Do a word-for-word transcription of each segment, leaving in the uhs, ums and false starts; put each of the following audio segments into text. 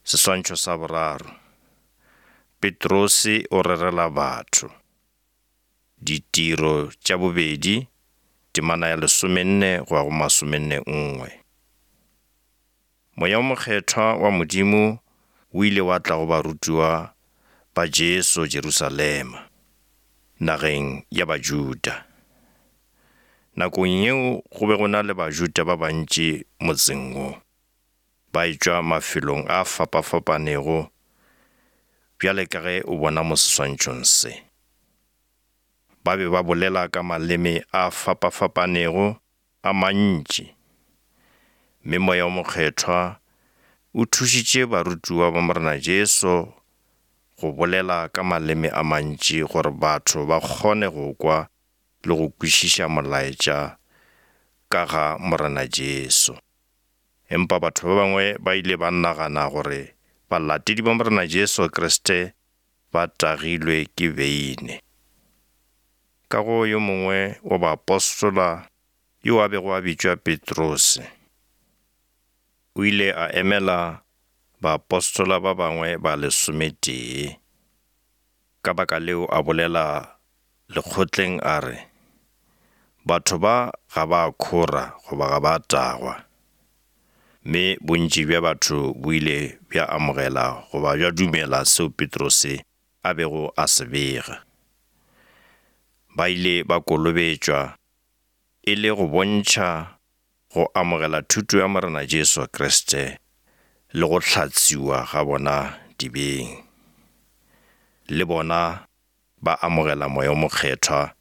Seswantšho sa boraro. Petrose o rerela batho. Ditiro tša bobedi, temana ya lesomenne go ya go masomenne nngwe. Moya o mokgethwa wa Modimo o ile wa tla go barutiwa ba Jesu Jerusalema, nageng ya Bajuda. Nakong yeo go be go na le Bajuda ba bantši motseng wo, ba etšwa mafelong a fapafapanego bjale ka ge o bona mo seswantšhong se. Ba be ba bolela ka maleme a fapafapanego a mantši, mme Moya o Mokgethwa o thušitše barutiwa ba Morena Jesu go bolela ka maleme a mantši gore batho ba kgone go kwa le go kwešiša molaetša ka ga Morena Jesu. Empa batho ba bangwe ba ile ba nagana gore balatedi ba Morena Jesu Kriste ba tagilwe ke beine. Ka go yo mongwe wa baapostola yo a bego a bitšwa Petrose, o ile a emela baapostola ba bangwe ba lesometee. Ka baka leo a bolela lekgotleng a re, batho ba ga ba khora goba ga ba tagwa. Mme bontši bja batho bo ile bja amogela goba bja dumela seo Petrose a bego a se bega. Ba ile ba kolobetšwa e le go bontšha go amogela thuto ya Morena Jesu Kriste le go hlatswiwa ga bona dibeng. Le bona ba amogela Moya o Mokgethwa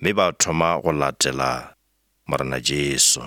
mme ba thoma go latela Morena Jesu.